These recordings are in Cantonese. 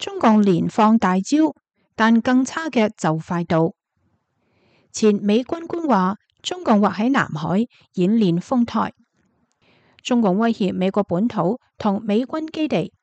中共連放大招，但更差嘅就快到。前美軍官話，中共或喺南海演練封台，中共威脅美國本土同美軍基地。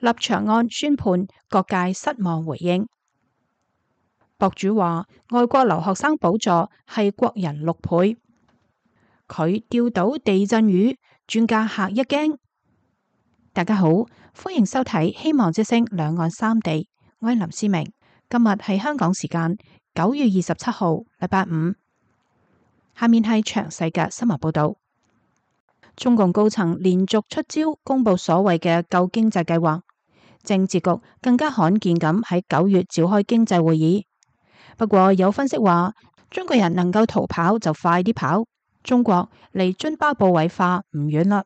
立場案宣判，各界失望回應。博主話，外國留學生補助係國人6倍，佢釣到地震魚，專家嚇一驚。大家好，歡迎收睇希望之聲兩岸三地，我係林思明。今日係香港時間9月27號，禮拜五。下面係詳細嘅新聞報道。中共高層連續出招，公布所謂嘅救經濟計劃。政治局更加罕見咁喺9月召開經濟會議。不過有分析話，中國人能夠逃跑就快啲跑，中國離津巴布韋化唔遠啦。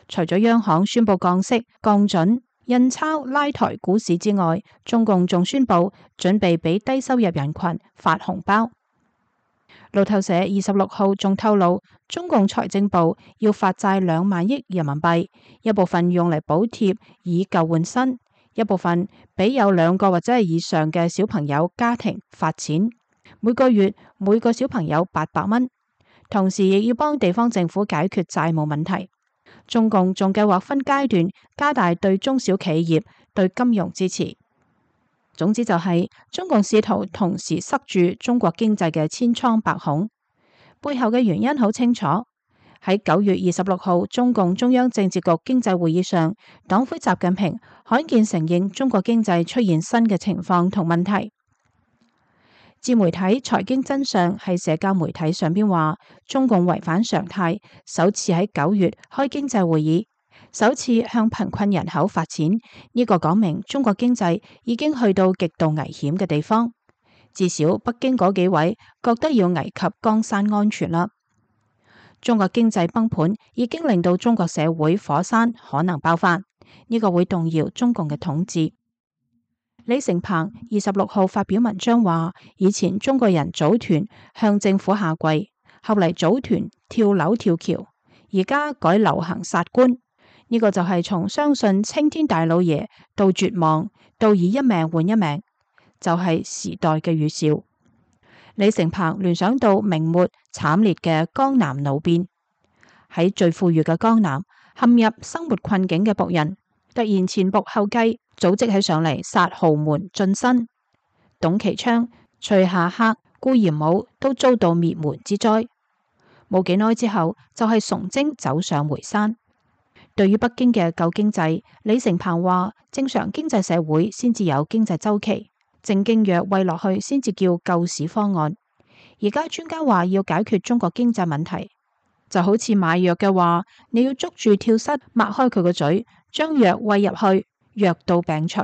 除咗央行宣布降息、降準、印鈔拉抬股市之外，中共仲宣布準備俾低收入人群發紅包。路透社26號仲透露，中共財政部要發債2萬億人民幣，一部分用嚟補貼以舊換新，一部分俾有2個或者係以上嘅小朋友家庭發錢，每個月每個小朋友800蚊，同時亦要幫地方政府解決債務問題。中共仲計劃分階段加大對中小企業對金融支持。總之就係中共試圖同時塞住中國經濟嘅千瘡百孔，背後嘅原因好清楚。喺9月26號中共中央政治局經濟會議上，黨魁習近平罕見承認中國經濟出現新嘅情況同問題。自媒體財經真相喺社交媒體上邊話，中共違反常態，首次喺9月開經濟會議，首次向貧困人口發錢，呢個講明中國經濟已經去到極度危險嘅地方。至少北京嗰幾位覺得要危及江山安全啦。中國經濟崩盤已經令到中國社會火山可能爆發，呢個會動搖中共嘅統治。李成鵬26號發表文章話，以前中國人組團向政府下跪，後嚟組團跳樓跳橋，而家改流行殺官。呢個就係從相信青天大老爺到絕望，到以一命換一命，就係時代嘅預兆。李成鵬聯想到明末慘烈嘅江南奴變，喺最富裕嘅江南陷入生活困境嘅僕人，突然前仆後繼，組織起上嚟殺豪門進身。董其昌、徐霞客、顧炎武都遭到滅門之災。冇幾耐之後，就係崇禎走上回山。對於北京嘅救經濟，李成鵬話：正常經濟社會先至有經濟周期，正經藥餵落去先至叫救市方案。而家專家話要解決中國經濟問題，就好似買藥嘅話，你要捉住跳蚤，擘開佢個嘴，將藥餵入去，藥到病除。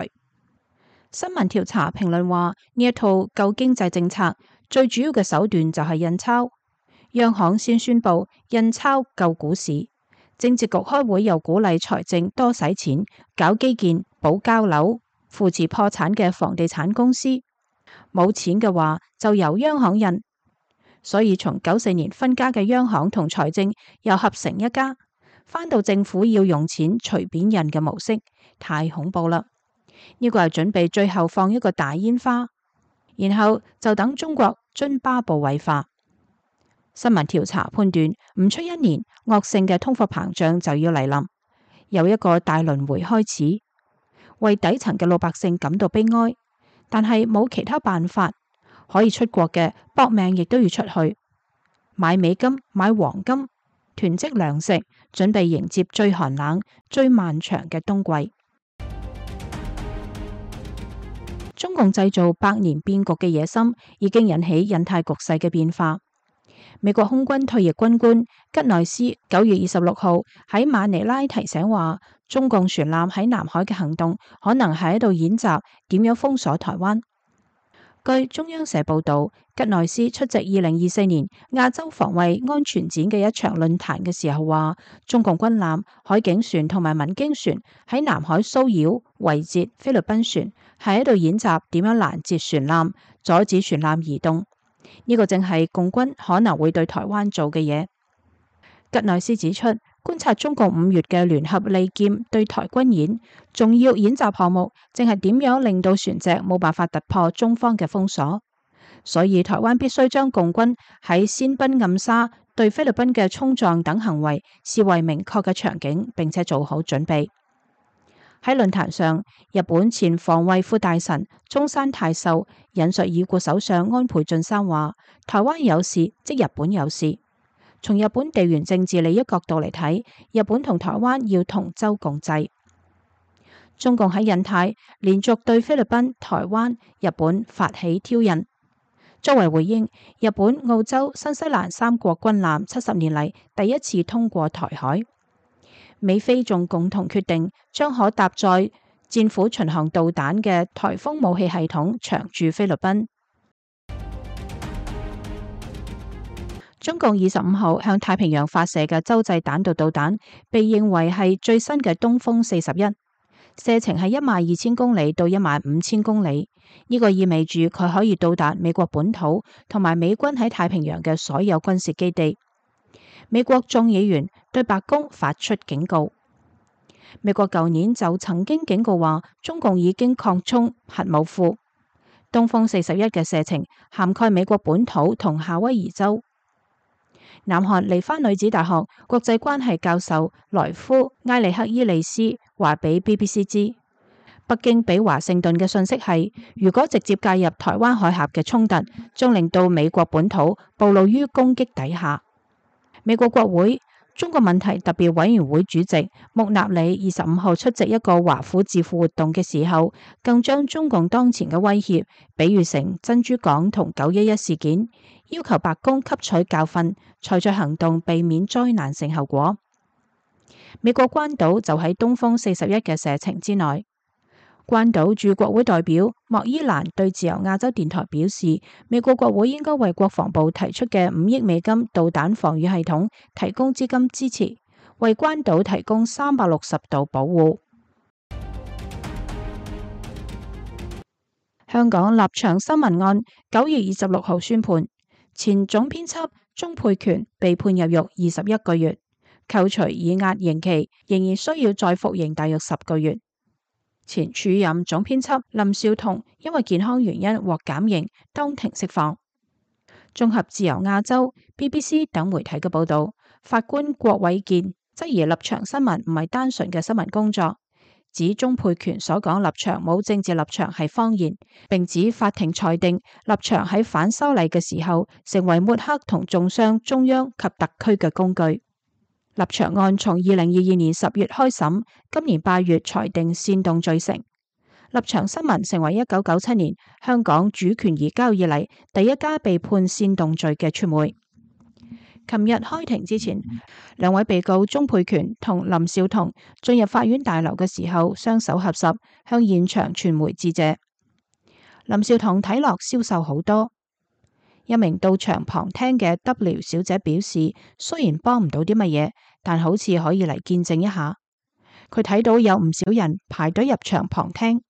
新聞調查評論話，呢一套救經濟政策最主要嘅手段就係印鈔，央行先宣布印鈔救股市。政治局開會又鼓勵財政多使錢，搞基建、保交樓、扶持破產嘅房地產公司。冇錢嘅話就由央行印，所以從94年分家嘅央行同財政又合成一家，返到政府要用錢隨便印嘅模式，太恐怖啦！呢個係準備最後放一個大煙花，然後就等中國津巴布韋化。新聞調查判斷，唔出1年，惡性嘅通貨膨脹就要嚟臨，又一個大輪迴開始，為底層嘅老百姓感到悲哀。但係冇其他辦法，可以出國嘅搏命亦都要出去買美金、買黃金，囤積糧食，準備迎接最寒冷、最漫長嘅冬季。中共製造百年變局嘅野心已經引起印太局勢嘅變化。美國空軍退役軍官吉內斯9月26號喺馬尼拉提醒話，中共船艦喺南海嘅行動可能係喺度演習點樣封鎖台灣。據中央社報道，吉內斯出席2024年亞洲防衛安全展嘅一場論壇嘅時候話，中共軍艦、海警船同埋民經船喺南海騷擾、圍截菲律賓船，係喺度演習點樣攔截船艦，阻止船艦移動。呢個正係共軍可能會對台灣做嘅嘢。吉內斯指出，觀察中共5月嘅聯合利劍對台軍演，重要演習項目正係點樣令到船隻冇辦法突破中方嘅封鎖，所以台灣必須將共軍喺仙賓暗沙對菲律賓嘅衝撞等行為視為明確嘅場景，並且做好準備。喺論壇上，日本前防衛副大臣中山泰秀引述已故首相安倍晉三話：台灣有事即日本有事。從日本地緣政治利益角度嚟睇，日本同台灣要同舟共濟。中共喺印太連續對菲律賓、台灣、日本發起挑釁。作為回應，日本、澳洲、新西蘭3國軍艦70年嚟第一次通過台海。美菲仲共同決定將可搭載戰斧巡航導彈嘅颱風武器系統長駐菲律賓。中共25號向太平洋發射嘅洲際彈道導彈，被認為係最新嘅東風41，射程係12000公里到15000公里。呢個意味住佢可以到達美國本土同埋美軍喺太平洋嘅所有軍事基地。美國眾議員對白宮發出警告。美國舊年就曾經警告話，中共已經擴充核武庫。東風41嘅射程涵蓋美國本土同夏威夷州。南韓梨花女子大學國際關係教授萊夫埃利克伊利斯話俾 BBC 知，北京俾華盛頓嘅訊息係，如果直接介入台灣海峽嘅衝突，將令到美國本土暴露於攻擊底下。美國國會中國問題特別委員會主席穆納里25號出席一個華府智庫活動嘅時候，更將中共當前嘅威脅比喻成珍珠港同911事件，要求白宮吸取教訓，採取行動避免災難性後果。美國關島就喺東風41嘅射程之內。關島駐國會代表莫伊蘭對自由亞洲電台表示，美國國會應該為國防部提出嘅5億美金導彈防禦系統提供資金支持，為關島提供360度保護。香港立場新聞案9月26號宣判，前總編輯鍾沛權被判入獄21個月，扣除已押刑期，仍然需要再服刑大約10個月。前署任總編輯林紹桐因為健康原因獲減刑，當庭釋放。綜合自由亞洲、BBC 等媒體嘅報道，法官郭偉健質疑立場新聞唔係單純嘅新聞工作，指鍾沛權所講立場冇政治立場係謊言，並指法庭裁定立場喺反修例嘅時候成為抹黑同中傷中央及特區嘅工具。立場案從2022年10月開審，今年8月裁定煽動罪成。立場新聞成為1997年香港主權移交以嚟第一家被判煽動罪嘅傳媒。琴日開庭之前，兩位被告鍾沛權同林紹桐進入法院大樓嘅時候，雙手合十向現場傳媒致謝。林紹桐睇落消瘦好多。一名到場旁聽嘅 W 小姐表示，雖然幫唔到啲乜嘢，但好似可以嚟見證一下。佢睇到有唔少人排隊入場旁聽，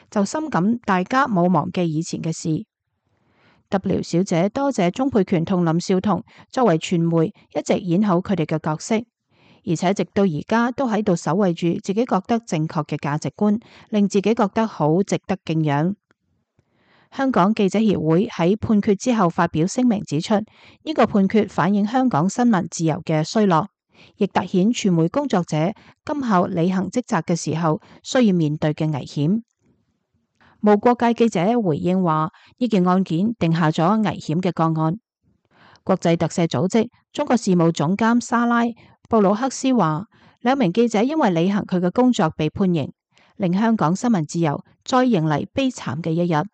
就深感大家冇忘記以前嘅事。W 小姐多謝鍾沛權同林紹桐作為傳媒一直演好佢哋嘅角色，而且直到而家都喺度守衛住自己覺得正確嘅價值觀，令自己覺得好值得敬仰。香港記者協會喺判決之後發表聲明指出，呢個判決反映香港新聞自由嘅衰落，亦凸顯傳媒工作者今後履行職責嘅時候需要面對嘅危險。無國界記者回應話，呢件案件定下咗危險嘅個案。國際特赦組織中國事務總監沙拉布魯克斯話，2名記者因為履行佢嘅工作被判刑，令香港新聞自由再迎嚟悲慘嘅一日。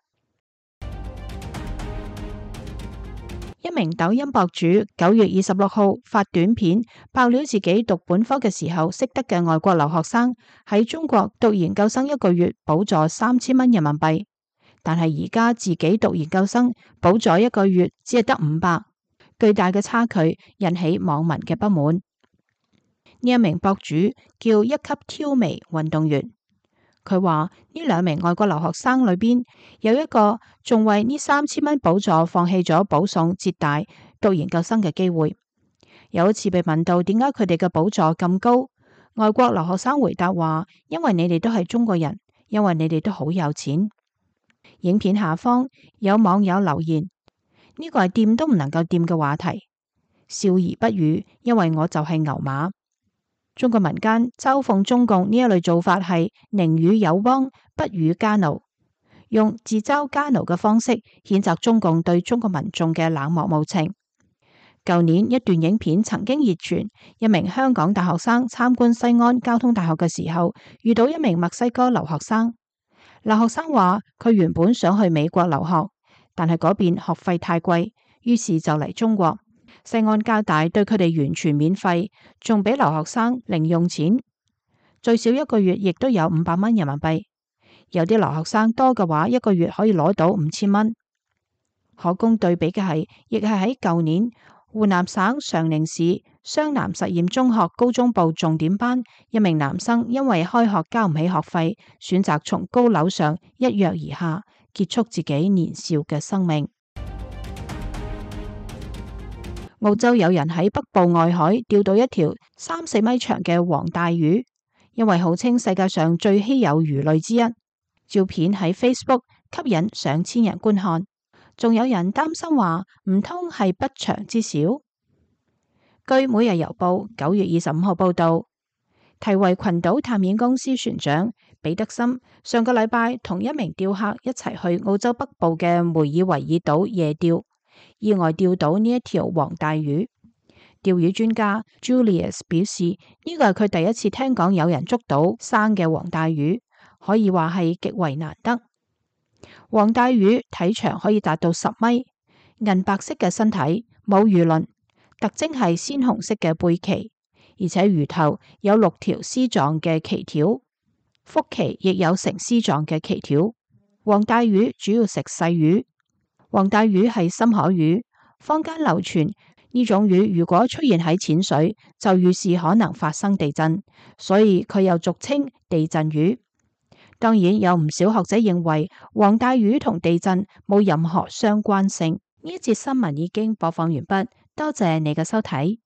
一名抖音博主9月26號發短片爆料自己讀本科嘅時候識得嘅外國留學生喺中國讀研究生1個月補助3000蚊人民幣，但係而家自己讀研究生補助1個月只係得500，巨大嘅差距引起網民嘅不滿。呢一名博主叫一級挑眉運動員。佢話呢2名外國留學生裏邊有一個仲為呢3000蚊補助放棄咗保送浙大讀研究生嘅機會，有一次被問到點解佢哋嘅寶座咁高，外國留學生回答話：因為你哋都係中國人，因為你哋都好有錢。影片下方有網友留言：呢個係掂都唔能夠掂嘅話題，笑而不語，因為我就係牛馬。中國民間嘲諷中共呢一類做法係寧與友邦，不與家奴，用自嘲家奴嘅方式譴責中共對中國民眾嘅冷漠無情。舊年一段影片曾經熱傳，一名香港大學生參觀西安交通大學嘅時候，遇到一名墨西哥留學生。留學生話佢原本想去美國留學，但係嗰邊學費太貴，於是就嚟中國。西安交大對佢哋完全免費，仲俾留學生零用錢，最少一個月亦都有500蚊人民幣。有啲留學生多嘅話，一個月可以攞到5000蚊。可供對比嘅係，亦係喺舊年湖南省常寧市湘南實驗中學高中部重點班，一名男生因為開學交唔起學費，選擇從高樓上一躍而下，結束自己年少嘅生命。澳洲有人喺北部外海釣到一條3-4米長嘅黃帶魚，因為號稱世界上最稀有魚類之一。照片喺 Facebook 吸引上千人觀看，仲有人擔心話唔通係不祥之兆。據每日郵報9月25號報道，提維群島探險公司船長彼得森上個禮拜同一名釣客一齊去澳洲北部嘅梅爾維爾島夜釣，意外釣到呢一條黃帶魚。釣魚專家 Julius 表示，呢個係佢第一次聽講有人捉到生嘅黃帶魚，可以話係極為難得。黃帶魚體長可以達到10米，銀白色嘅身體，冇魚鱗，特徵係鮮紅色嘅背鰭，而且魚頭有6條絲狀嘅鰭條，腹鰭亦有呈絲狀嘅鰭條。黃帶魚主要食細魚。黃帶魚係深海魚，坊間流傳呢種魚如果出現喺淺水，就預示可能發生地震，所以佢又俗稱地震魚。當然有唔少學者認為黃帶魚同地震冇任何相關性。呢一節新聞已經播放完畢，多謝你嘅收睇。